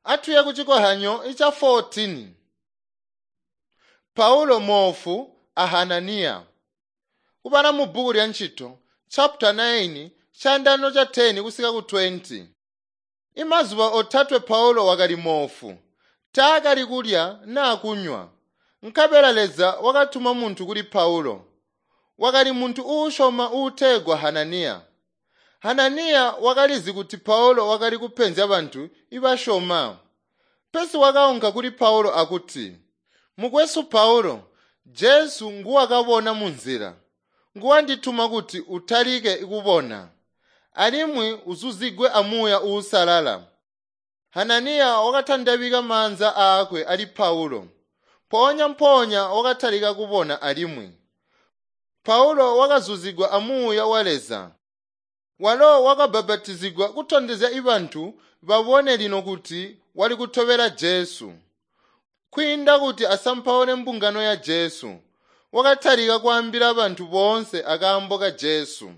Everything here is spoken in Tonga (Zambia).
Atuye ku cikohanyo ica 14. Paulo moofu a Hananiya. Kubala mu bbuku lya Ntchito chapter 9 chandano cha 10 kusika ku 20. Imazuba otatwe Paulo wakali moofu, taakali kulya naa kunywa. Nkabela Leza wakatuma muntu kuli Paulo. Wakali muntu uusyoma uutegwa Hananiya. Hananiya wakalizi kuti Paulo wakali kupenzya bantu ibasyoma. Pesi wakaunka kuli Paulo akuti, "Mukwesu Paulo, Jesu nguwakabona munzila. Nguwandituma kuti utalike kubona, alimwi uzuzigwe amuuya uusalala." Hananiya wakatandabika maanza aakwe ali Paulo. Mpoonya-mpoonya wakatalika kubona alimwi. Paulo wakazuzigwa amuuya wa Leza. Walo wakabbapatizigwa kutondezya ibantu babone lino kuti wali kutobela Jesu. Kwiinda kuti asampaule mbungano ya Jesu, wakatalika kwaambila bantu boonse akaambo ka Jesu.